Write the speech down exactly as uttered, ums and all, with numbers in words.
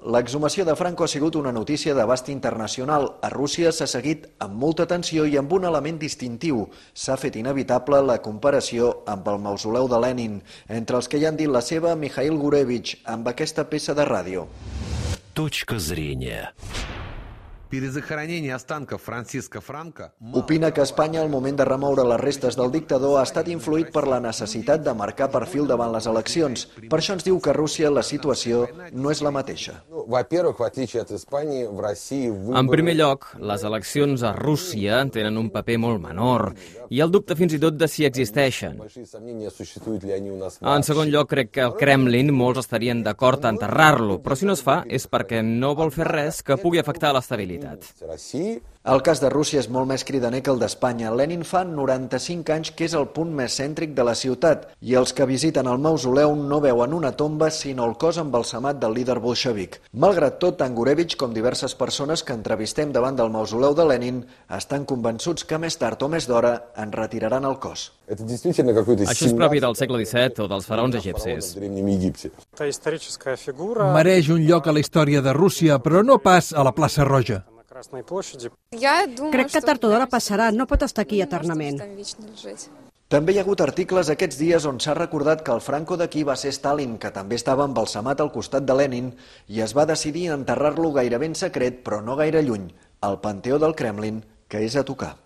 L'exhumació de Franco ha sigut una notícia d'abast internacional. A Rússia s'ha seguit amb molta atenció i amb un element distintiu. S'ha fet inevitable la comparació amb el mausoleu de Lenin. Entre els que hi han dit la seva, Mikhail Gurevich, amb aquesta peça de ràdio. Точка зрения. Opina que a Espanya el moment de remoure les restes del dictador ha estat influït per la necessitat de marcar perfil davant les eleccions. Per això ens diu que a Rússia la situació no és la mateixa. En primer lloc, les eleccions a Rússia tenen un paper molt menor i el dubte fins i tot de si existeixen. En segon lloc, crec que el Kremlin molts estarien d'acord a enterrar-lo, però si no es fa és perquè no vol fer res que pugui afectar l'estabilitat. El cas de Rússia és molt més cridaner que el d'Espanya. Lenin fa noranta-cinc anys que és el punt més cèntric de la ciutat i els que visiten el mausoleu no veuen una tomba sinó el cos embalsamat del líder bolxevic. Malgrat tot, tant Gurevich com diverses persones que entrevistem davant del mausoleu de Lenin estan convençuts que més tard o més d'hora en retiraran el cos. Això és propi del segle disset o dels faraons egipcis. Mereix un lloc a la història de Rússia, però no pas a la plaça Roja. Crec que tard o d'hora passarà, no pot estar aquí eternament. També hi ha hagut articles aquests dies on s'ha recordat que el Franco d'aquí va ser Stalin, que també estava embalsamat al costat de Lenin, i es va decidir enterrar-lo gairebé en secret, però no gaire lluny, al Panteó del Kremlin, que és a tocar.